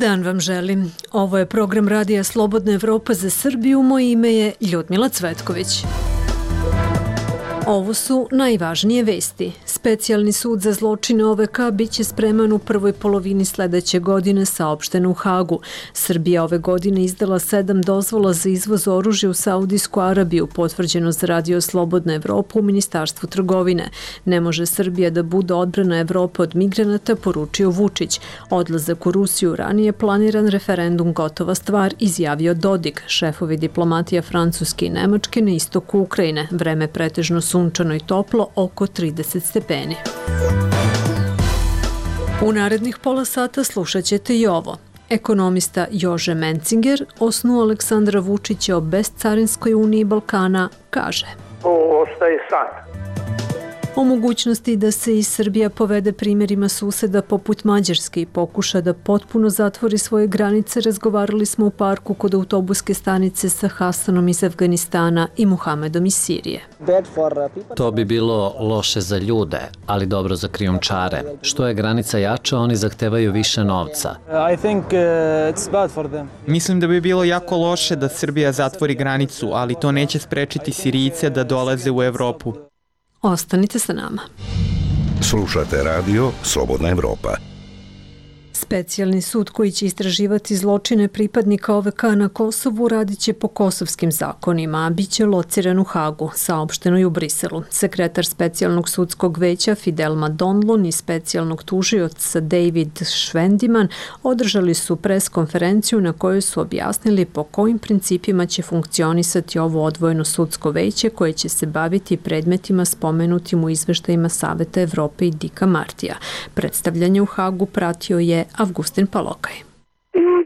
dan vam želim. Ovo je program Radija Slobodna Evropa za Srbiju. Moje ime je Ljudmila Cvetković. Ovo su najvažnije vesti. Specijalni sud za zločine OVK biće spreman u prvoj polovini sledeće godine, saopšteno u Hagu. Srbija ove godine izdala 7 dozvola za izvoz oružja u Saudijsku Arabiju, potvrđeno za Radio Slobodna Evropa u Ministarstvu trgovine. Ne može Srbija da bude odbrana Evrope od migranata, poručio Vučić. Odlazak u Rusiju ranije planiran, referendum gotova stvar, izjavio Dodik. Šefovi diplomatija Francuske i Nemačke na istoku Ukrajine. Vreme pretežno sunčano i toplo, oko 30 stepeni. U narednih pola sata slušat ćete i ovo. Ekonomista Jože Mencinger, osnu Aleksandra Vučića o bescarinskoj uniji Balkana, kaže: To ostaje san. O mogućnosti da se i Srbija povede primjerima suseda poput Mađarske i pokuša da potpuno zatvori svoje granice, razgovarali smo u parku kod autobuske stanice sa Hasanom iz Afganistana i Muhamedom iz Sirije. To bi bilo loše za ljude, ali dobro za krijumčare. Što je granica jača, oni zahtevaju više novca. Mislim da bi bilo jako loše da Srbija zatvori granicu, ali to neće sprečiti Sirijce da dolaze u Evropu. Ostanite sa nama. Slušate radio Slobodna Evropa. Specijalni sud koji će istraživati zločine pripadnika OVK na Kosovu radit će po kosovskim zakonima, a bit će lociran u Hagu, saopšteno i u Briselu. Sekretar specijalnog sudskog veća Fidelma Donlon i specijalnog tužioca David Švendiman održali su preskonferenciju na kojoj su objasnili po kojim principima će funkcionisati ovo odvojeno sudsko veće koje će se baviti predmetima spomenutim u izveštajima Saveta Evrope i Dika Martija. Predstavljanje u Hagu pratio je Avgustin Palokaj.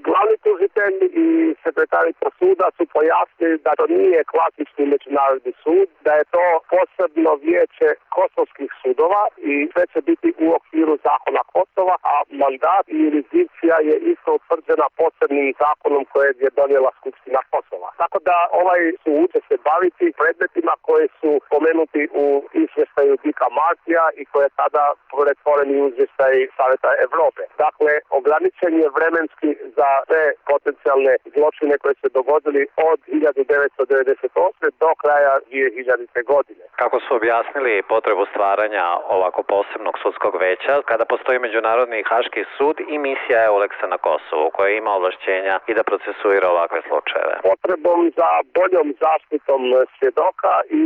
Glavni tužitelj i sekretarica suda su pojasnili da to nije klasični međunarodni sud, da je to posebno vijeće kosovskih sudova i sve će biti u okviru zakona Kosova, a mandat i jurisdikcija je isto utvrđena posebnim zakonom kojeg je donijela Skupština Kosova. Tako da ovaj sud će se baviti predmetima koji su pomenuti u izvještaju Dika Martija i koje je tada pretvoreni u izvještaj Saveta Evrope. Dakle, ograničen je vremenski za sve potencijalne zločine koje se dogodili od 1998. do kraja 2000. godine. Kako su objasnili potrebu stvaranja ovako posebnog sudskog veća, kada postoji Međunarodni haški sud i misija EULEX-a na Kosovu, koja ima ovlašćenja i da procesuira ovakve slučajeve? Potrebom za boljom zaštitom svjedoka i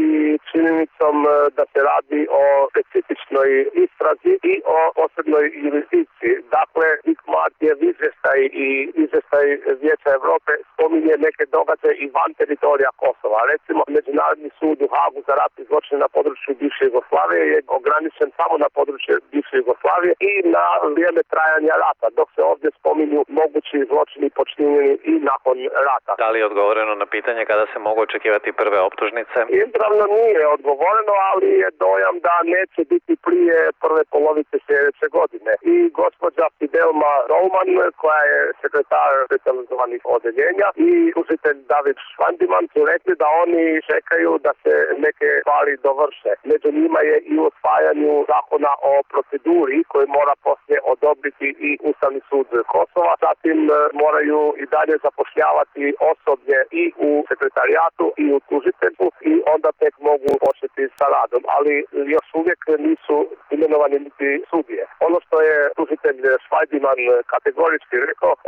činjenicom da se radi o specifičnoj istrazi i o posebnoj jurisdikciji. Dakle, Dik Martijev izvještaj i izvještaj Vijeća Evrope spominje neke događaje i van teritorija Kosova. Recimo, Međunarodni sud u Hagu za ratne zločine na području bivše Jugoslavije je ograničen samo na područje bivše Jugoslavije i na vrijeme trajanja rata, dok se ovdje spominju mogući zločini počinjeni i nakon rata. Da li je odgovoreno na pitanje kada se mogu očekivati prve optužnice? Izravno nije odgovoreno, ali je dojam da neće biti prije prve polovice sljedeće godine. I gospođa Fidelma Donlon, koja je sekretar specializovanih odeljenja, i tužitelj David Švendiman su rekli da oni čekaju da se neke stvari dovrše. Među njima je i usvajanju zakona o proceduri koji mora poslije odobriti i Ustavni sud Kosova. Zatim moraju i dalje zapošljavati osoblje i u sekretarijatu i u tužiteljstvu i onda tek mogu početi sa radom. Ali još uvijek nisu imenovani niti sudije. Ono što je tužitelj Švendiman kategorički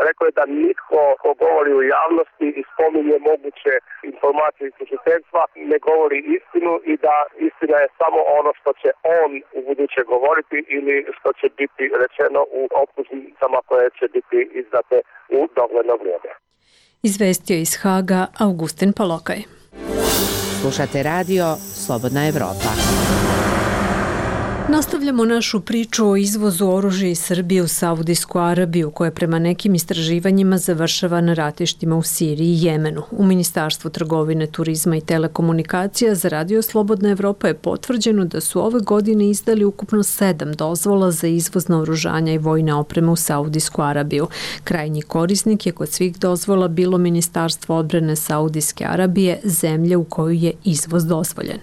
rekao je da nitko ko govori u javnosti i spominje moguće informacije iz tužiteljstva ne govori istinu i da istina je samo ono što će on u buduće govoriti ili što će biti rečeno u optužnicama koje će biti izdate u dogledno vrijeme. Izvestio iz Haga Avgustin Palokaj. Slušate radio Slobodna Evropa. Nastavljamo našu priču o izvozu oružja iz Srbije u Saudijsku Arabiju, koja prema nekim istraživanjima završava na ratištima u Siriji i Jemenu. U Ministarstvu trgovine, turizma i telekomunikacija za Radio Slobodna Evropa je potvrđeno da su ove godine izdali ukupno 7 dozvola za izvoz naoružanja i vojne opreme u Saudijsku Arabiju. Krajnji korisnik je kod svih dozvola bilo Ministarstvo odbrane Saudijske Arabije, zemlje u kojoj je izvoz dozvoljen.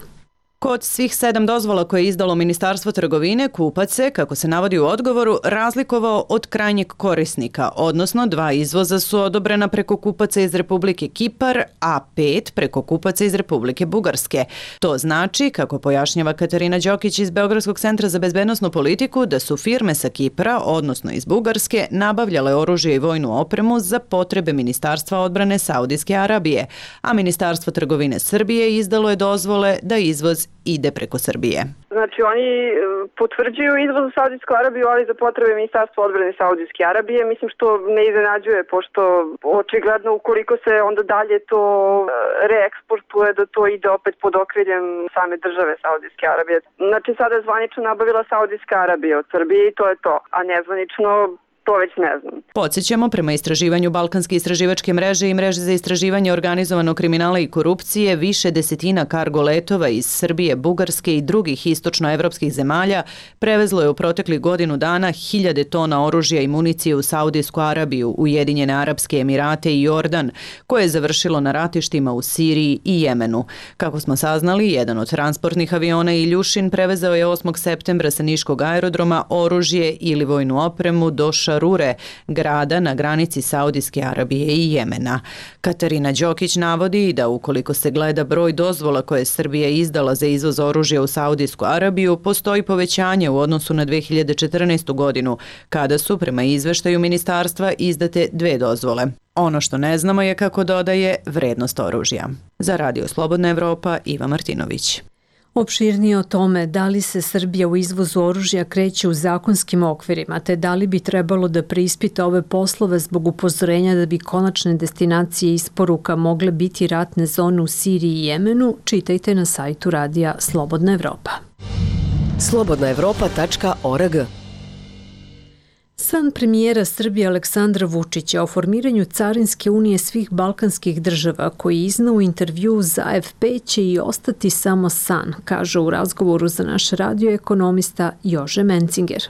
Kod svih 7 dozvola koje je izdalo Ministarstvo trgovine, kupac se, kako se navodi u odgovoru, razlikovao od krajnjeg korisnika, odnosno 2 izvoza su odobrena preko kupaca iz Republike Kipar, a 5 preko kupaca iz Republike Bugarske. To znači, kako pojašnjava Katarina Đokić iz Beogradskog centra za bezbednosnu politiku, da su firme sa Kipra, odnosno iz Bugarske, nabavljale oružje i vojnu opremu za potrebe Ministarstva odbrane Saudijske Arabije, a Ministarstvo trgovine Srbije izdalo je dozvole da izvoz ide preko Srbije. Znači oni potvrđuju izvoz u Saudijsku Arabiju, ali za potrebe Ministarstva odbrane Saudijske Arabije, mislim što ne iznenađuje, pošto očigledno ukoliko se onda dalje to reeksportuje, da to ide opet pod okriljem same države Saudijske Arabije. Znači sada je zvanično nabavila Saudijska Arabija od Srbije i to je to, a nezvanično to već ne znam. Podsjećamo, prema istraživanju Balkanske istraživačke mreže i mreže za istraživanje organizovanog kriminala i korupcije, više desetina kargo letova iz Srbije, Bugarske i drugih istočnoevropskih zemalja prevezlo je u proteklih godinu dana 1000 tona oružja i municije u Saudijsku Arabiju, Ujedinjene Arapske Emirate i Jordan, koje je završilo na ratištima u Siriji i Jemenu. Kako smo saznali, jedan od transportnih aviona Iljušin prevezao je 8. septembra sa Niškog aerodroma oružje ili vojnu opremu do Šarure, grada na granici Saudijske Arabije i Jemena. Katarina Đokić navodi da ukoliko se gleda broj dozvola koje je Srbija izdala za izvoz oružja u Saudijsku Arabiju, postoji povećanje u odnosu na 2014. godinu, kada su, prema izveštaju ministarstva, izdate 2 dozvole. Ono što ne znamo je, kako dodaje, vrednost oružja. Za Radio Slobodna Evropa, Iva Martinović. Opširnije o tome da li se Srbija u izvozu oružja kreće u zakonskim okvirima, te da li bi trebalo da preispita ove poslove zbog upozorenja da bi konačne destinacije isporuka mogle biti ratne zone u Siriji i Jemenu, čitajte na sajtu radija Slobodna Evropa. slobodnaevropa.org. San premijera Srbije Aleksandra Vučića o formiranju Carinske unije svih balkanskih država, koji je izneo u intervju za AFP, će i ostati samo san, kaže u razgovoru za naš radio ekonomista Jože Mencinger.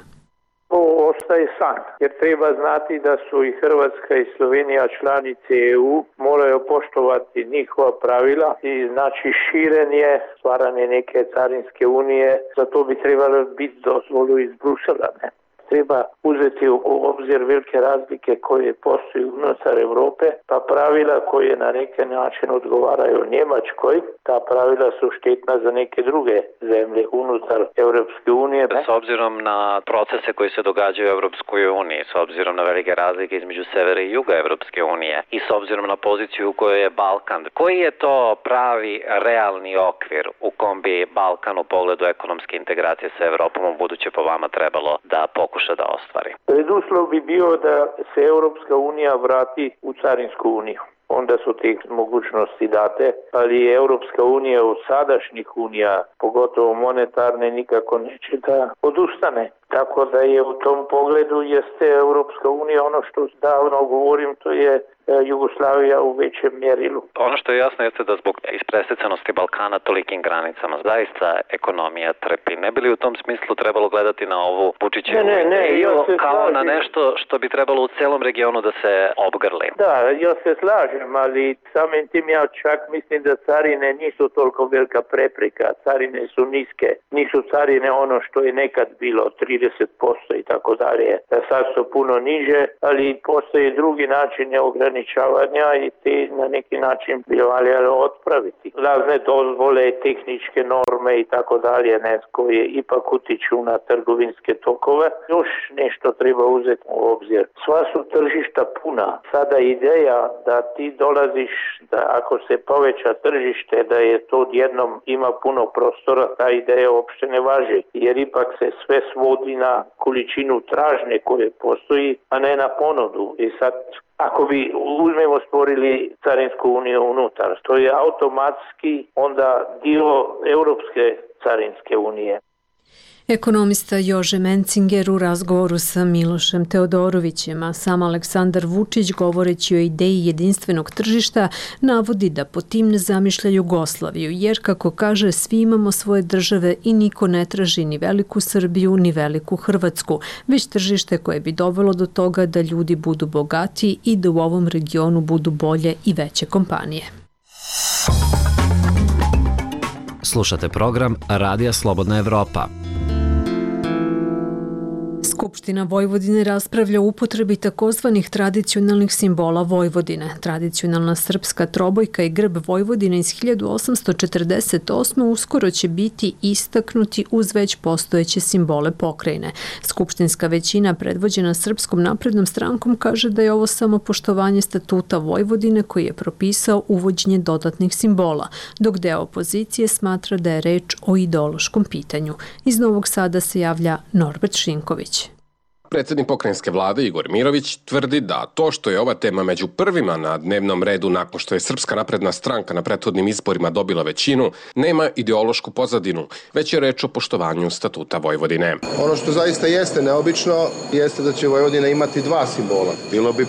Ovo ostaje san, jer treba znati da su i Hrvatska i Slovenija članice EU, moraju poštovati njihova pravila i znači širenje, stvaranje neke Carinske unije, za to bi trebalo biti dozvolu iz Brusela, ne? Treba uzeti u obzir velike razlike koje postoji unutar Evrope, pa pravila koje na neki način odgovaraju Njemačkoj, ta pravila su štetna za neke druge zemlje unutar Evropske unije. S obzirom na procese koji se događaju u Evropskoj uniji, s obzirom na velike razlike između severa i juga Evropske unije i s obzirom na poziciju u kojoj je Balkan, koji je to pravi, realni okvir u kom bi Balkan u pogledu ekonomske integracije sa Evropom u buduće po vama trebalo da pokuša da ostvari? Preduslov bi bio da se Europska unija vrati u Carinsku uniju. Onda su te mogućnosti date, ali Europska unija od sadašnjih unija, pogotovo monetarne, nikako neće da odustane. Tako da je u tom pogledu jeste Europska unija, ono što davno govorim, to je Jugoslavija u većem mjerilu. Ono što je jasno jeste da zbog ispresjecanosti Balkana tolikim granicama zaista ekonomija trpi. Ne bi li u tom smislu trebalo gledati na ovu Vučićevu ideju kao na nešto što bi trebalo u celom regionu da se obgrli? Da, ja se slažem, ali samim tim ja čak mislim da carine nisu toliko velika prepreka. Carine su niske, nisu carine ono što je nekad bilo 30% i tako dalje. Sad su puno niže, ali postoji drugi način ograničavanja i te na neki način bi valjalo otpraviti. Razne dozvole, tehničke norme i tako dalje, koje ipak utiču na trgovinske tokove. Još nešto treba uzeti u obzir. Sva su tržišta puna. Sada ideja da ti dolaziš, da ako se poveća tržište, da je to odjednom ima puno prostora, ta ideja uopšte ne važi. Jer ipak se sve svodi na količinu tražnje koje postoji, a ne na ponudu. I sad ako bi uzmemo stvorili Carinsku uniju unutar, to je automatski onda dio Europske Carinske unije. Ekonomista Jože Mencinger u razgovoru sa Milošem Teodorovićem, a sam Aleksandar Vučić, govoreći o ideji jedinstvenog tržišta, navodi da po tim ne zamišlja Jugoslaviju, jer, kako kaže, svi imamo svoje države i niko ne traži ni veliku Srbiju, ni veliku Hrvatsku, već tržište koje bi dovelo do toga da ljudi budu bogati i da u ovom regionu budu bolje i veće kompanije. Slušate program Radija Slobodna Evropa. Skupština Vojvodine raspravlja o upotrebi takozvanih tradicionalnih simbola Vojvodine. Tradicionalna srpska trobojka i grb Vojvodine iz 1848. uskoro će biti istaknuti uz već postojeće simbole pokrajine. Skupštinska većina predvođena Srpskom naprednom strankom kaže da je ovo samo poštovanje statuta Vojvodine koji je propisao uvođenje dodatnih simbola, dok deo opozicije smatra da je reč o ideološkom pitanju. Iz Novog Sada se javlja Norbert Šinković. Predsjednik pokrajinske vlade Igor Mirović tvrdi da to što je ova tema među prvima na dnevnom redu nakon što je Srpska napredna stranka na prethodnim izborima dobila većinu, nema ideološku pozadinu, već je reč o poštovanju statuta Vojvodine. Ono što zaista jeste neobično jeste da će Vojvodina imati dva simbola. Bilo bi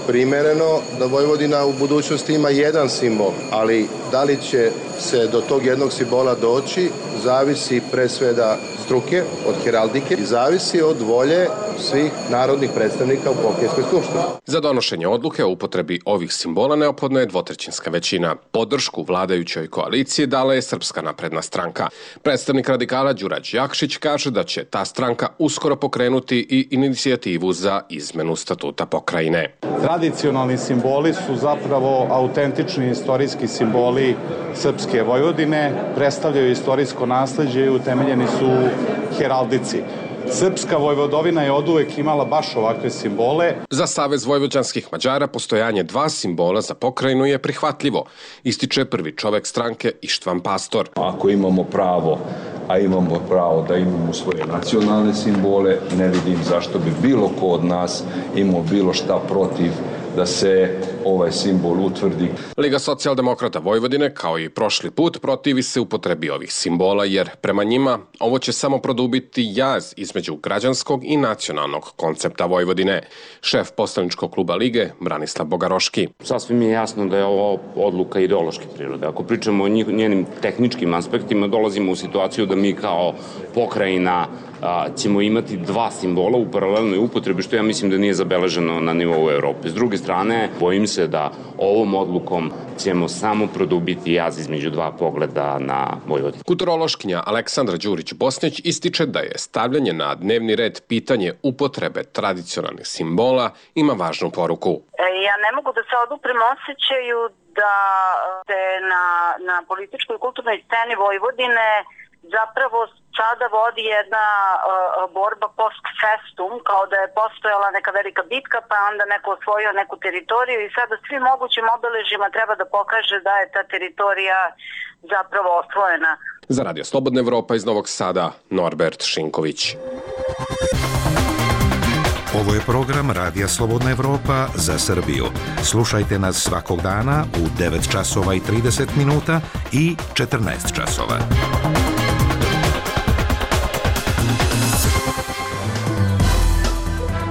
primereno da Vojvodina u budućnosti ima jedan simbol, ali da li će se do tog jednog simbola doći, zavisi pre svega struke, od heraldike i zavisi od volje svih narodnih predstavnika u pokrajinskoj skupštini. Za donošenje odluke o upotrebi ovih simbola neophodna je dvotrećinska većina. Podršku vladajućoj koaliciji dala je Srpska napredna stranka. Predstavnik radikala Đurađ Jakšić kaže da će ta stranka uskoro pokrenuti i inicijativu za izmenu statuta pokrajine. Tradicionalni simboli su zapravo autentični istorijski simboli Srpske Vojvodine, predstavljaju istorijsko nasleđe i utemeljeni su u heraldici. Srpska Vojvodovina je oduvek imala baš ovakve simbole. Za Savez vojvođanskih Mađara postojanje dva simbola za pokrajinu je prihvatljivo, ističe prvi čovek stranke Ištvan Pastor. Ako imamo pravo, a imamo pravo da imamo svoje nacionalne simbole, ne vidim zašto bi bilo ko od nas imao bilo šta protiv da se ovaj simbol utvrdi. Liga socijaldemokrata Vojvodine, kao i prošli put, protivi se upotrebi ovih simbola, jer prema njima ovo će samo produbiti jaz između građanskog i nacionalnog koncepta Vojvodine. Šef poslaničkog kluba Lige, Branislav Bogaroški. Sasvim je jasno da je ovo odluka ideološke prirode. Ako pričamo o njenim tehničkim aspektima, dolazimo u situaciju da mi kao pokrajina ćemo imati dva simbola u paralelnoj upotrebi, što ja mislim da nije zabeleženo na nivou Evrope. S druge strane, bojim se da ovom odlukom ćemo samo produbiti jaz između dva pogleda na Vojvodinu. Kulturološkinja Aleksandra Đurić-Bosnić ističe da je stavljanje na dnevni red pitanje upotrebe tradicionalnih simbola ima važnu poruku. Ja ne mogu da se oduprem osjećaju da se na političkoj i kulturnoj sceni Vojvodine zapravo sada vodi jedna borba post festum, kao da je postojala neka velika bitka, pa onda neko osvojio neku teritoriju i sada svim mogućim obeležjima treba da pokaže da je ta teritorija zapravo osvojena. Za Radio Slobodna Evropa iz Novog Sada, Norbert Šinković. Ovo je program Radija Slobodna Evropa za Srbiju. Slušajte nas svakog dana u 9 časova i 30 minuta i 14 časova.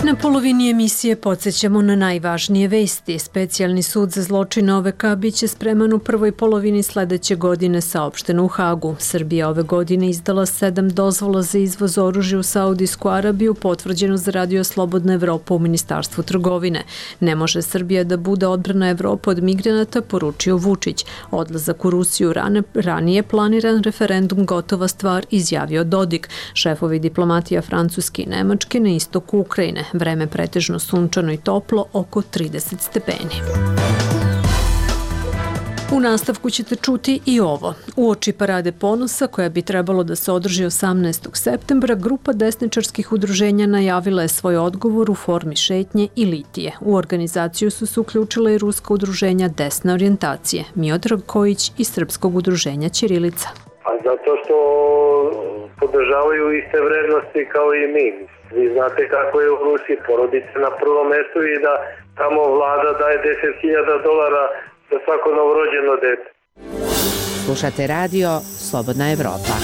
Na polovini emisije podsjećamo na najvažnije vesti. Specijalni sud za zločine OVK biće spreman u prvoj polovini sledeće godine, saopšteno u Hagu. Srbija ove godine izdala 7 dozvola za izvoz oružja u Saudijsku Arabiju, potvrđeno za Radio Slobodna Evropa u Ministarstvu trgovine. Ne može Srbija da bude odbrana Evropa od migranata, poručio Vučić. Odlazak u Rusiju ranije planiran referendum gotova stvar, izjavio Dodik. Šefovi diplomatija Francuske i Nemačke na istoku Ukrajine. Vreme pretežno sunčano i toplo, oko 30 stepeni. U nastavku ćete čuti i ovo. Uoči Parade ponosa, koja bi trebalo da se održi 18. septembra, grupa desničarskih udruženja najavila je svoj odgovor u formi šetnje i litije. U organizaciju su se uključila i ruska udruženja desne orijentacije, Miodrag Kojić iz Srpskog udruženja Ćirilica. A zato što podržavaju iste vrednosti kao i mi. Vi znate kako je u Rusiji, porodica na prvom mestu i da tamo vlada daje $10.000 za svako novorođeno dete. Slušate radio Slobodna Evropa.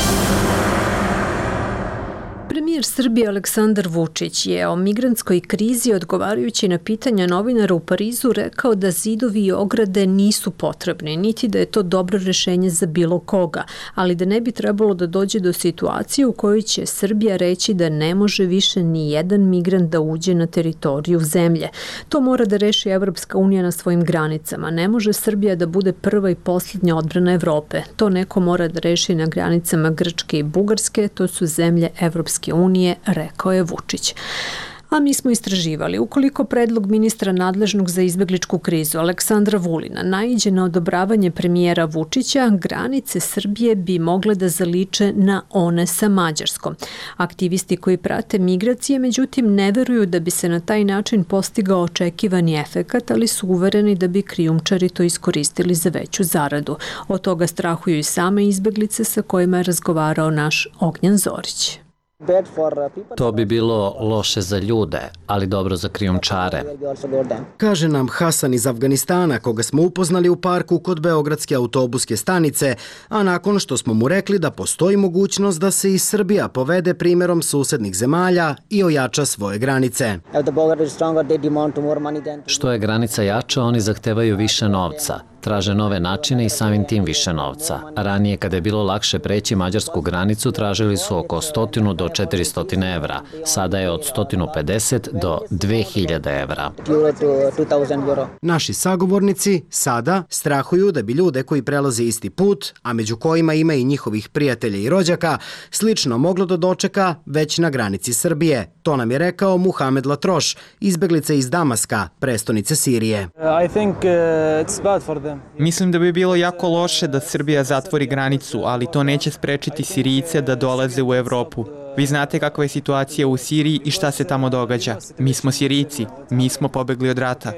Premijer Srbije Aleksandar Vučić je o migrantskoj krizi odgovarajući na pitanja novinara u Parizu rekao da zidovi i ograde nisu potrebni, niti da je to dobro rešenje za bilo koga, ali da ne bi trebalo da dođe do situacije u kojoj će Srbija reći da ne može više ni jedan migrant da uđe na teritoriju zemlje. To mora da reši Evropska unija na svojim granicama. Ne može Srbija da bude prva i posljednja odbrana Evrope. To neko mora da reši na granicama Grčke i Bugarske, to su zemlje Evropske unije, rekao je Vučić. A mi smo istraživali, ukoliko predlog ministra nadležnog za izbegličku krizu Aleksandra Vulina naiđe na odobravanje premijera Vučića, granice Srbije bi mogle da zaliče na one sa Mađarskom. Aktivisti koji prate migracije, međutim, ne veruju da bi se na taj način postigao očekivani efekat, ali su uvereni da bi krijumčari to iskoristili za veću zaradu. Od toga strahuju i same izbeglice sa kojima je razgovarao naš Ognjen Zorić. To bi bilo loše za ljude, ali dobro za krijumčare. Kaže nam Hasan iz Afganistana, koga smo upoznali u parku kod Beogradske autobuske stanice, a nakon što smo mu rekli da postoji mogućnost da se i Srbija povede primjerom susednih zemalja i ojača svoje granice. Što je granica jača, oni zahtevaju više novca. Traže nove načine i samim tim više novca. Ranije, kada je bilo lakše preći mađarsku granicu, tražili su oko 100 do 400 evra. Sada je od 150 do 2000 evra. Naši sagovornici sada strahuju da bi ljude koji prelaze isti put, a među kojima ima i njihovih prijatelja i rođaka, slično moglo da dočeka već na granici Srbije. To nam je rekao Muhamed Latroš, izbeglica iz Damaska, prestonice Sirije. Mislim da bi bilo jako loše da Srbija zatvori granicu, ali to neće sprečiti Sirijce da dolaze u Evropu. Vi znate kakva je situacija u Siriji i šta se tamo događa. Mi smo Sirijci, mi smo pobegli od rata.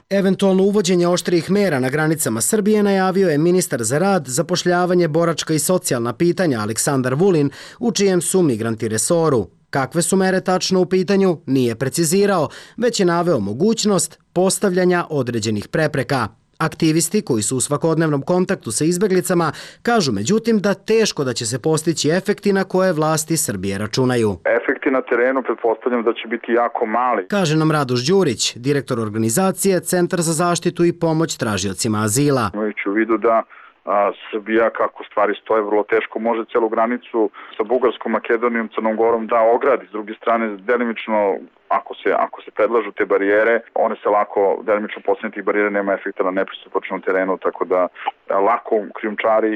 Eventualno uvođenje oštrijih mera na granicama Srbije najavio je ministar za rad, zapošljavanje, boračka i socijalna pitanja Aleksandar Vulin, u čijem su migranti resoru. Kakve su mere tačno u pitanju, nije precizirao, već je naveo mogućnost postavljanja određenih prepreka. Aktivisti koji su u svakodnevnom kontaktu sa izbeglicama kažu međutim da teško da će se postići efekti na koje vlasti Srbije računaju. Efekti na terenu pretpostavljam da će biti jako mali. Kaže nam Radoš Đurić, direktor organizacije Centar za zaštitu i pomoć tražiocima azila. Imajući u vidu da Srbija, kako stvari stoje, vrlo teško može celu granicu sa Bugarskom, Makedonijom, Crnom Gorom da ogradi. S druge strane, delimično, ako se predlažu te barijere, one se lako, delimično postavljanje tih barijera nema efekta na nepristupačnom terenu, tako da lako krijumčari,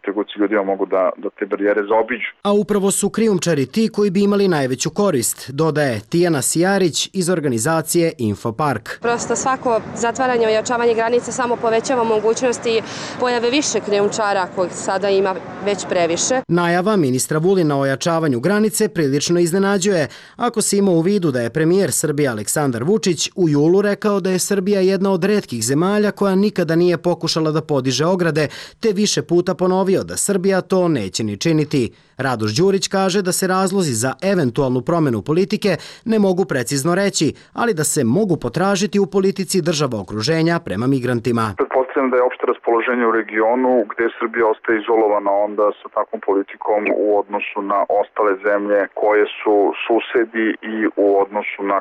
trgovci ljudima mogu da te barijere zaobiđu. A upravo su krijumčari ti koji bi imali najveću korist, dodaje Tijana Sijarić iz organizacije Infopark. Prosto svako zatvaranje, ojačavanje granice samo povećava mogućnosti pojave više krijumčara kojih sada ima već previše. Najava ministra Vulina o ojačavanju granice prilično iznenađuje, ako se ima u vidu da je premijer Srbije Aleksandar Vučić u julu rekao da je Srbija jedna od retkih zemalja koja nikada nije pokušala da podiže ograde, te više puta ponovio da Srbija to neće ni činiti. Radoš Đurić kaže da se razlozi za eventualnu promenu politike ne mogu precizno reći, ali da se mogu potražiti u politici država okruženja prema migrantima. Pretpostavljam da je opšte raspoloženje u regionu gde Srbija ostaje izolovana onda sa takvom politikom u odnosu na ostale zemlje koje su susedi i u odnosu na,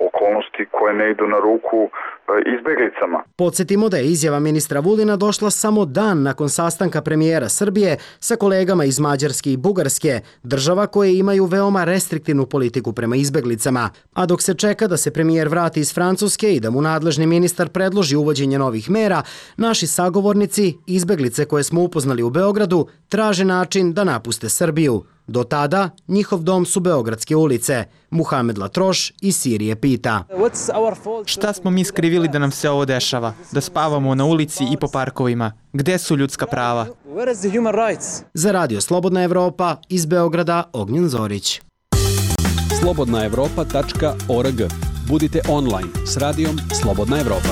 okolnosti koje ne idu na ruku izbeglicama. Podsjetimo da je izjava ministra Vulina došla samo dan nakon sastanka premijera Srbije sa kolegama iz Mađarske i Bugarske, država koje imaju veoma restriktivnu politiku prema izbeglicama. A dok se čeka da se premijer vrati iz Francuske i da mu nadležni ministar predloži uvođenje novih mera, naši sagovornici, izbeglice koje smo upoznali u Beogradu, traže način da napuste Srbiju. Do tada, njihov dom su Beogradske ulice. Muhamed Latroš iz Sirije pita. Šta smo mi skrivili da nam se ovo dešava? Da spavamo na ulici i po parkovima? Gde su ljudska prava? Za Radio Slobodna Evropa iz Beograda, Ognjen Zorić. slobodnaevropa.org. Budite online s radijom Slobodna Evropa.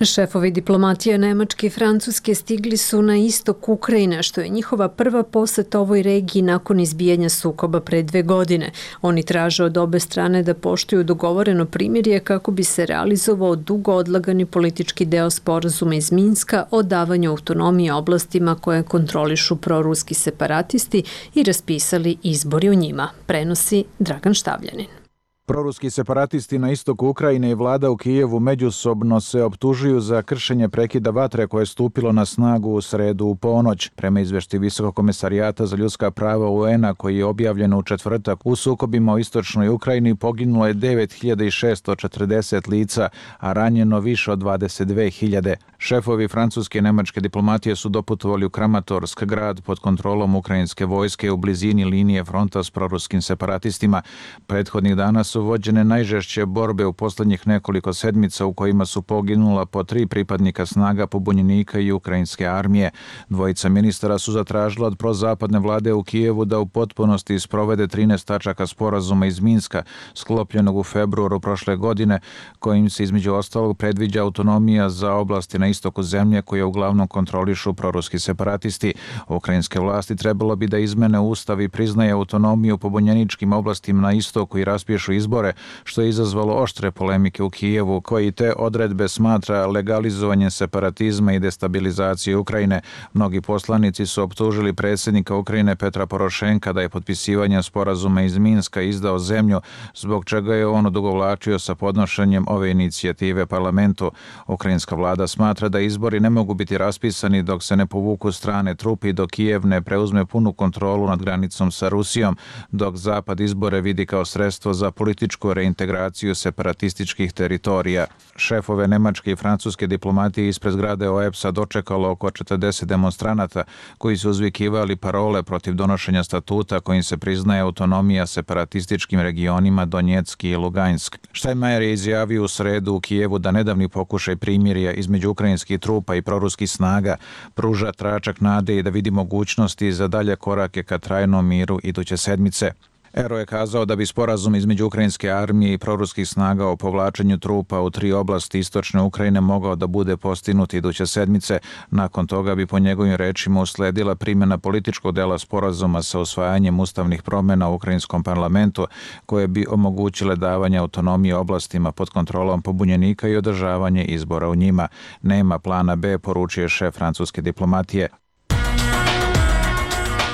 Šefovi diplomatije Nemačke i Francuske stigli su na istok Ukrajine, što je njihova prva poseta ovoj regiji nakon izbijanja sukoba pre 2 godine. Oni traže od obe strane da poštuju dogovoreno primirje kako bi se realizovao dugo odlagani politički deo sporazuma iz Minska o davanju autonomije oblastima koje kontrolišu proruski separatisti i raspisali izbori u njima, prenosi Dragan Štavljanin. Proruski separatisti na istoku Ukrajine i vlada u Kijevu međusobno se optužuju za kršenje prekida vatre koje je stupilo na snagu u sredu u ponoć. Prema izvešti Visokog komesarijata za ljudska prava UN-a koji je objavljen u četvrtak, u sukobima u istočnoj Ukrajini poginulo je 9640 lica, a ranjeno više od 22.000. Šefovi francuske i nemačke diplomatije su doputovali u Kramatorsk, grad pod kontrolom ukrajinske vojske u blizini linije fronta s proruskim separatistima. Prethodnih dana su vođene najžešće borbe u poslednjih nekoliko sedmica u kojima su poginula po 3 pripadnika snaga pobunjenika i ukrajinske armije. Dvojica ministara su zatražila od prozapadne vlade u Kijevu da u potpunosti sprovede 13 tačaka sporazuma iz Minska, sklopljenog u februaru prošle godine, kojim se između ostalog predviđa autonomija za oblasti na istoku zemlje koje uglavnom kontrolišu proruski separatisti. Ukrajinske vlasti trebalo bi da izmene ustav i priznaje autonomiju pobunjeničkim oblastima na istoku i raspišu izbore, što je izazvalo oštre polemike u Kijevu, koji te odredbe smatra legalizovanjem separatizma i destabilizacije Ukrajine. Mnogi poslanici su optužili predsjednika Ukrajine Petra Porošenka da je potpisivanjem sporazuma iz Minska izdao zemlju, zbog čega je on odugovlačio sa podnošenjem ove inicijative parlamentu. Ukrajinska vlada smatra da izbori ne mogu biti raspisani dok se ne povuku strane trupe i dok Kijev ne preuzme punu kontrolu nad granicom sa Rusijom, dok Zapad izbore vidi kao sredstvo za političku reintegraciju separatističkih teritorija. Šefove nemačke i francuske diplomatije ispred zgrade OEBS-a dočekalo oko 40 demonstranata koji su uzvikivali parole protiv donošenja statuta kojim se priznaje autonomija separatističkim regionima Donjecki i Lugansk. Steinmeier je izjavio u sredu u Kijevu da nedavni pokušaj primirja između ukrajinskih trupa i proruskih snaga pruža tračak nade i da vidi mogućnosti za dalje korake ka trajnom miru iduće sedmice. Ero je kazao da bi sporazum između ukrajinske armije i proruskih snaga o povlačenju trupa u 3 oblasti istočne Ukrajine mogao da bude postignut iduće sedmice. Nakon toga bi po njegovim rečima usledila primjena političkog dela sporazuma sa usvajanjem ustavnih promjena u ukrajinskom parlamentu koje bi omogućile davanje autonomije oblastima pod kontrolom pobunjenika i održavanje izbora u njima. Nema plana B, poručuje šef francuske diplomatije.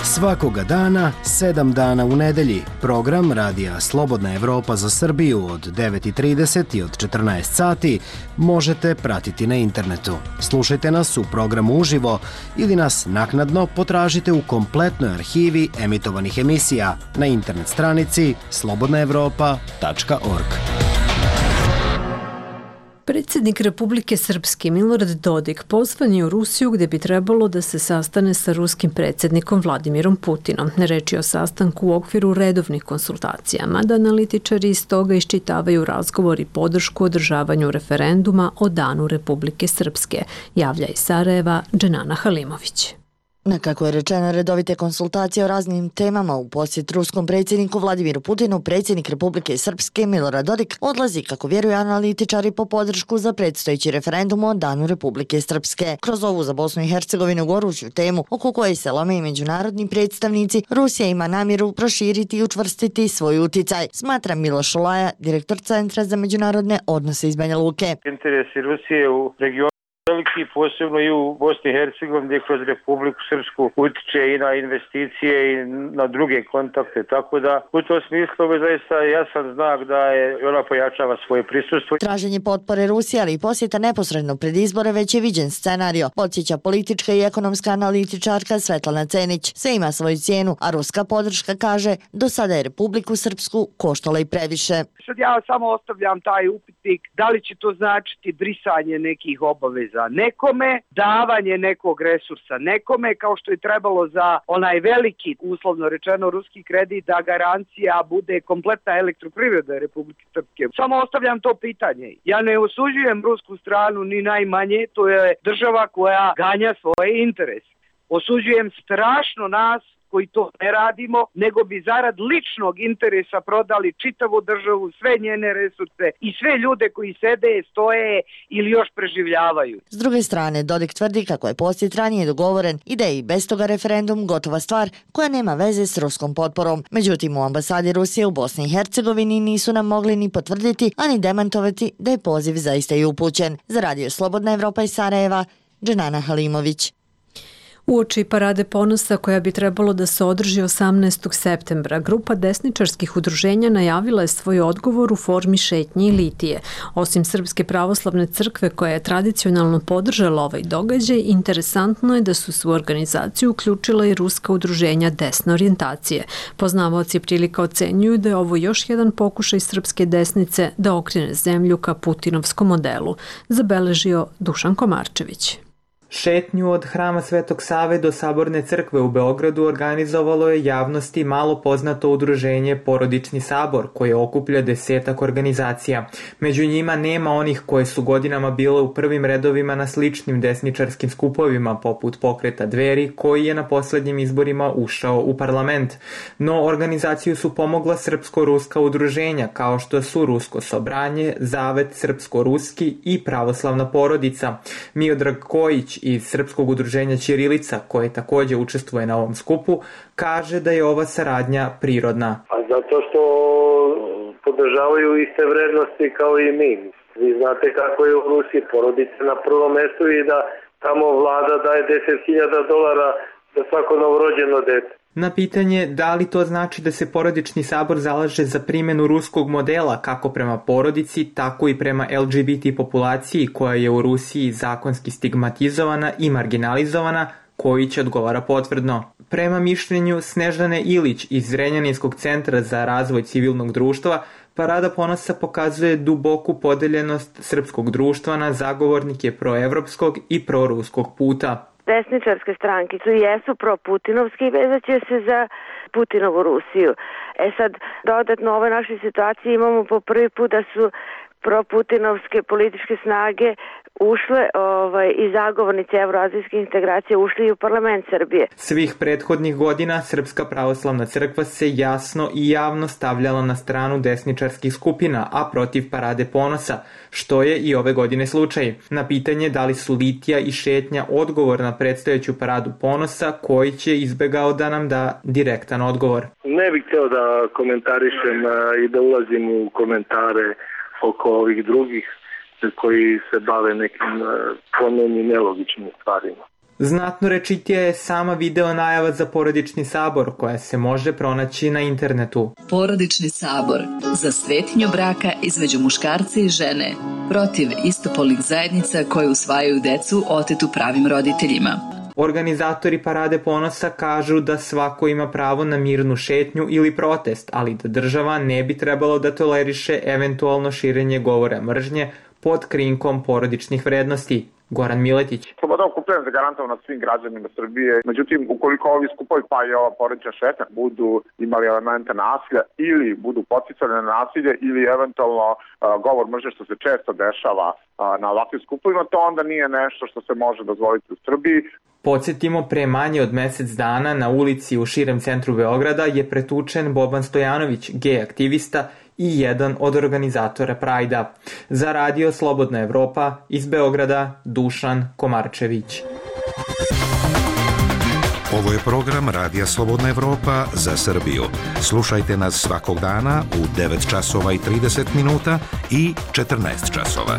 Svakoga dana, 7 dana u nedelji, program Radija Slobodna Evropa za Srbiju od 9:30 i od 14 sati možete pratiti na internetu. Slušajte nas u programu uživo ili nas naknadno potražite u kompletnoj arhivi emitovanih emisija na internet stranici slobodnaevropa.org. Predsjednik Republike Srpske Milorad Dodik pozvan je u Rusiju gdje bi trebalo da se sastane sa ruskim predsjednikom Vladimirom Putinom. Reč je o sastanku u okviru redovnih konsultacija, mada analitičari iz toga iščitavaju razgovor i podršku održavanju referenduma o Danu Republike Srpske, javlja iz Sarajeva Dženana Halimović. Na kako je rečeno redovite konsultacije o raznim temama u posjet ruskom predsjedniku Vladimiru Putinu, predsjednik Republike Srpske Milorad Dodik odlazi, kako vjeruju analitičari, po podršku za predstojeći referendum o Danu Republike Srpske. Kroz ovu za Bosnu i Hercegovinu goruću temu, oko koje se lome i međunarodni predstavnici, Rusija ima namjeru proširiti i učvrstiti svoj uticaj, smatra Miloš Olaja, direktor Centra za međunarodne odnose iz Banja Luke. Interesi Rusije u regionu veliki, posebno i u Bosni i Hercegovini, gdje kroz Republiku Srpsku utiče i na investicije i na druge kontakte, tako da u tom smislu je zaista jasan znak da je ona pojačava svoje prisustvo. Traženje potpore Rusije, ali i posjeta neposredno pred izbore već je viđen scenario, podsjeća politička i ekonomska analitičarka Svetlana Cenić. Sve ima svoju cijenu, a ruska podrška, kaže, do sada je Republiku Srpsku koštala i previše. Sad ja samo ostavljam taj upitnik, da li će to značiti brisanje nekih obaveza nekome, davanje nekog resursa nekome, kao što je trebalo za onaj veliki, uslovno rečeno, ruski kredit, da garancija bude kompletna elektroprivreda Republike Srpske. Samo ostavljam to pitanje. Ja ne osuđujem rusku stranu ni najmanje, to je država koja ganja svoje interese. Osuđujem strašno nas koji to ne radimo, nego bi zarad ličnog interesa prodali čitavu državu, sve njene resurse i sve ljude koji sede, stoje ili još preživljavaju. S druge strane, Dodik tvrdi kako je posjet ranije dogovoren i da je i bez toga referendum gotova stvar koja nema veze s ruskom potporom. Međutim, u ambasadi Rusije u Bosni i Hercegovini nisu nam mogli ni potvrditi, ani demantovati da je poziv zaista i upućen. Za Radio Slobodna Evropa iz Sarajeva, Dženana Halimović. Uoči Parade ponosa koja bi trebalo da se održi 18. septembra, grupa desničarskih udruženja najavila je svoj odgovor u formi šetnje i litije. Osim Srpske pravoslavne crkve koja je tradicionalno podržala ovaj događaj, interesantno je da su se u organizaciju uključila i ruska udruženja desne orijentacije. Poznavaoci prilika ocenjuju da je ovo još jedan pokušaj srpske desnice da okrene zemlju ka putinovskom modelu, zabeležio Dušan Komarčević. Šetnju od Hrama Svetog Save do Saborne crkve u Beogradu organizovalo je javnosti malo poznato udruženje Porodični sabor, koje okuplja 10 organizacija. Među njima nema onih koje su godinama bile u prvim redovima na sličnim desničarskim skupovima, poput Pokreta Dveri, koji je na poslednjim izborima ušao u parlament. No, organizaciju su pomogla srpsko-ruska udruženja, kao što su Rusko sobranje, Zavet srpsko-ruski i Pravoslavna porodica. Miodrag Kojić iz Srpskog udruženja Ćirilica, koje takođe učestvuje na ovom skupu, kaže da je ova saradnja prirodna. A zato što podržavaju iste vrednosti kao i mi. Vi znate kako je u Rusiji, porodica na prvom mestu i da tamo vlada daje $10.000 za svako novorođeno dete. Na pitanje da li to znači da se Porodični sabor zalaže za primjenu ruskog modela kako prema porodici, tako i prema LGBT populaciji koja je u Rusiji zakonski stigmatizovana i marginalizovana, Kojić odgovara potvrdno. Prema mišljenju Snežane Ilić iz Zrenjaninskog centra za razvoj civilnog društva, Parada ponosa pokazuje duboku podeljenost srpskog društva na zagovornike proevropskog i proruskog puta. Desničarske stranke jesu pro-putinovske i vezat će se za Putinovu Rusiju. Sad, dodatno u ovoj našoj situaciji imamo po prvi put da su pro-putinovske političke snage ušle i zagovornici evroazijskih integracija ušli i u parlament Srbije. Svih prethodnih godina Srpska pravoslavna crkva se jasno i javno stavljala na stranu desničarskih skupina, a protiv Parade ponosa, što je i ove godine slučaj. Na pitanje da li su litija i šetnja odgovor na predstojeću Paradu ponosa, Kojić je izbegao da nam da direktan odgovor. Ne bih hteo da komentarišem i da ulazim u komentare oko ovih drugih koji se bave nekim ponovnim nelogičnim stvarima. Znatno rečitija je sama video najava za Porodični sabor koja se može pronaći na internetu. Porodični sabor za svetinju braka između muškarca i žene, protiv istopolnih zajednica koje usvajaju decu otetu pravim roditeljima. Organizatori Parade ponosa kažu da svako ima pravo na mirnu šetnju ili protest, ali da država ne bi trebalo da toleriše eventualno širenje govora mržnje pod krinkom porodičnih vrednosti. Goran Miletić. Sloboda okupljanja zagarantovana svim građanima Srbije. Međutim, ukoliko ovi skupovi pa i ova porodična šetnja budu imali elemente nasilja ili budu poticali na nasilje ili eventualno govor mržnje što se često dešava na ovakvim skupovima, to onda nije nešto što se može dozvoliti u Srbiji. Podsjetimo, pre manje od mesec dana na ulici u širem centru Beograda je pretučen Boban Stojanović, gej aktivista i jedan od organizatora Prajda. Za Radio Slobodna Evropa iz Beograda, Dušan Komarčević. Ovo je program Radija Slobodna Evropa za Srbiju. Slušajte nas svakog dana u 9 časova i 30 minuta i 14 časova.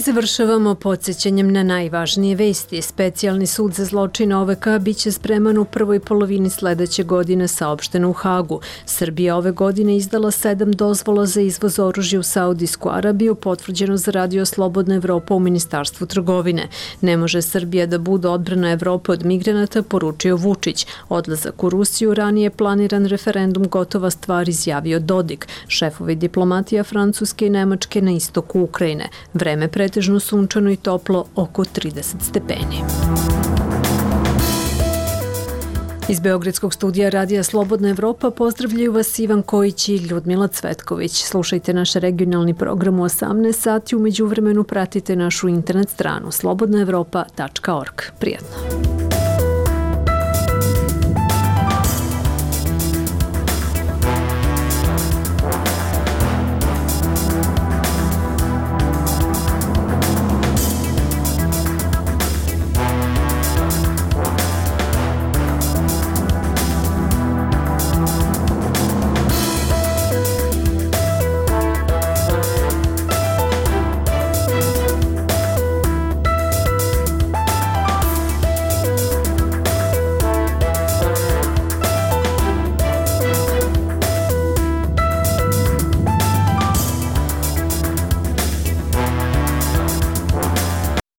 Završavamo podsjećanjem na najvažnije vesti. Specijalni sud za zločine OVK biće spreman u prvoj polovini sledeće godine, saopšteno u Hagu. Srbija ove godine izdala 7 dozvola za izvoz oružja u Saudijsku Arabiju, potvrđeno za Radio Slobodna Evropa u Ministarstvu trgovine. Ne može Srbija da bude odbrana Evrope od migranata, poručio Vučić. Odlazak u Rusiju, ranije planiran referendum, gotova stvar, izjavio Dodik. Šefovi diplomatija Francuske i Nemačke na istoku Ukrajine. Vreme pretežno sunčano i toplo, oko 30 stepeni. Iz Beogradskog studija Radija Slobodna Evropa pozdravljaju vas Ivan Kojić i Ljudmila Cvetković. Slušajte naš regionalni program u 18 sati, u međuvremenu pratite našu internet stranu slobodnaevropa.org. Prijatno!